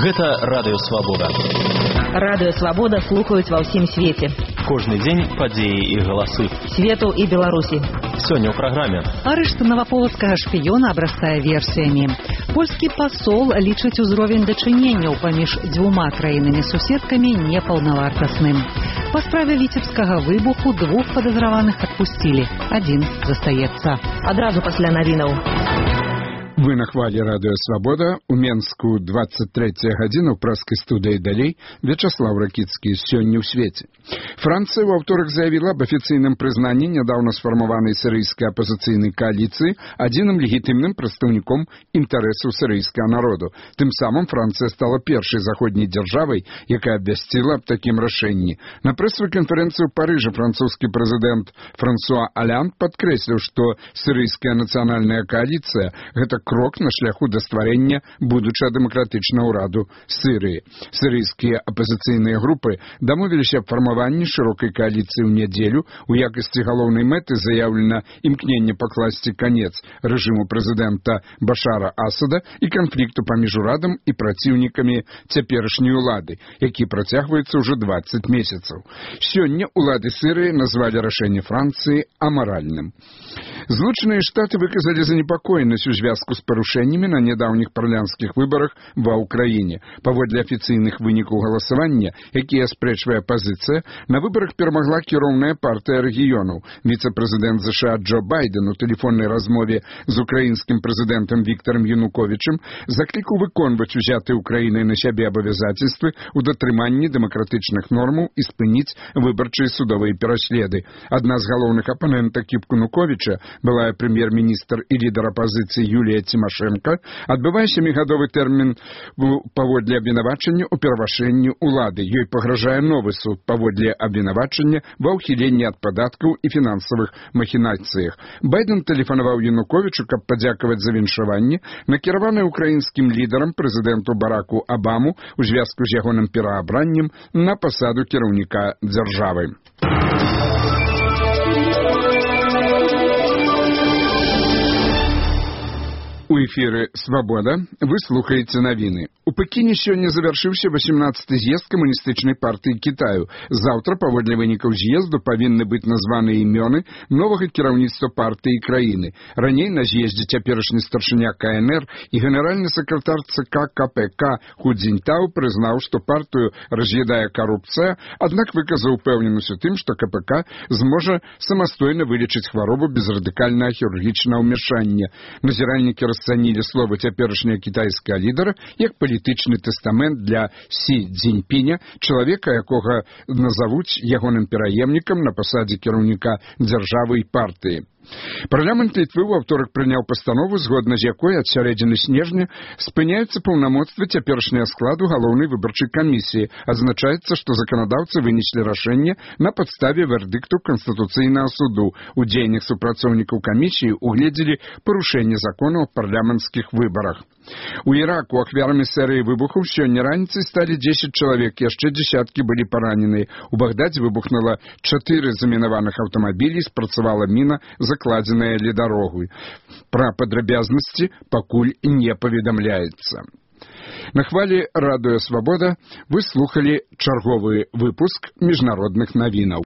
Гэта Радыё Свабода. Радыё Свабода слухаюць ва ўсім свеце. Кожны дзень падзеі і галасы Свету і Беларусі. Сёння ў праграме. Арышт наваполацкага шпіёна абрастае версіямі. Польскі пасол лічыць узровень дачыненняў паміж дзвюма краінамі-суседкамі непаўнавартасным. Па справе віцебскага выбуху 2 падазраваных адпусцілі. 1 застаецца. Адразу пасля навінаў. Вы на хвалі Радыё Свабода. У Менску 23 гадзіна ў праскай студыі далей Вячаслав Ракіцкі. Сёння ў свеце. Францыя ў аўторак заявіла аб афіцыйным прызнанні нядаўна сфармаванай сірыйскай апазіцыйнай кааліцыі адзіным легітымным прадстаўніком інтарэсаў сірыйскага народу. Тым самым Францыя стала першай заходняй дзяржавай, якая абвясціла аб такім рашэнні. На прэсавай канферэнцыі ў Парыжы французскі прэзідэнт Франсуа Алянд падкрэсліў, што сірыйская нацыянальная кааліцыя – гэта крок на шляху да стварэння будучага дэмакратычнага ўраду Сірыі. Сірыйскія апазіцыйныя групы дамовіліся аб фармаванні шырокай кааліцыі ў нядзелю. У якасці галоўнай мэты заяўлена імкненне пакласці канец рэжыму прэзідэнта Башара Асада і канфлікту паміж урадам і праціўнікамі цяперашняй улады, які працягваецца ўжо 20 месяцаў. Сёння улады Сірыі назвалі рашэнне Францыі амаральным. Злучаныя Штаты выказалі занепакоенасць у звязку з парушэннямі на нядаўніх парламенцкіх выбарах ва ўкраіне. Паводле афіцыйных вынікаў галасавання, якія аспрэчвае апазіцыя, на выбарах перамагла кіроўная партыя рэгіёнаў. Віцэ-прэзідэнт США Джо Байден у тэлефоннай размове з украінскім прэзідэнтам Віктарам Януковічам заклікаў выконваць узятыя Украінай на сябе абавязацельствы ў датрыманні дэмакратычных нормаў і спыніць выбарчыя судовыя пераследы. Адна з галоўных апанентак Януковіча, былая прэм'ер-міністр і лідар апазіцыі Юлія Цімашэнка, адбывае 7-гадовы тэрмін паводле абвінавачання ў перавышэнні ўлады. Ёй пагражае новы суд паводле абвінавачання ва ўхіленні ад падаткаў і фінансавых махінацыях. Байден тэлефанаваў Януковічу, каб падзякаваць за віншаванне, накіраванае украінскім лідарам прэзідэнту Бараку Абаму у звязку з ягоным пераабраннем на пасаду кіраўніка дзяржавы. У эфіры «Свабода» вы слухаеце навіны. У Пекіне сёння завяршыўся 18-й з'езд камуністычнай партыі Кітаю. Заўтра, паводле вынікаў з'езду, павінны быць названыя імёны новага кіраўніцтва партыі і краіны. Раней на з'ездзе цяперашні старшыня КНР і генеральны сакратар ЦК КПК Ху Цзіньтау прызнаў, што партыю раз'ядае карупцыя, аднак выказаў упэўненасць у тым, што КПК зможа самастойна вылечыць хваробу без радыкальнага хірургічнага ўмяшання. Назіральнікі расцанілі словы цяперашняга кітайскага лідара як палітычны тэстамент для Сі Цзіньпіня, чалавека, якога назавуць ягоным пераемнікам на пасадзе кіраўніка дзяржавы і партыі. Парламент Літвы ў аўторак прыняў пастанову, згодна з якой ад сярэдзіны снежня спыняюцца паўнамоцтвы цяперашняга складу галоўнай выбарчай камісіі. Адзначаецца, што заканадаўцы вынеслі рашэнне на падставе вердыкту Канстытуцыйнага суду. У дзеяннях супрацоўнікаў камісіі угледзелі парушэнне законаў аб парламенцкіх выбарах. У Іраку ахвярамі серыі выбухаў сёння раніцай сталі 10 чалавек, яшчэ дзесяткі былі параненыя. У Багдадзе выбухнула 4 замінаваных аўтамабілі, спрацавала міна, закладзеная ля дарогу. Пра падрабязнасці пакуль не паведамляецца. На хвалі Радыё Свабода вы слухалі чарговы выпуск міжнародных навінаў.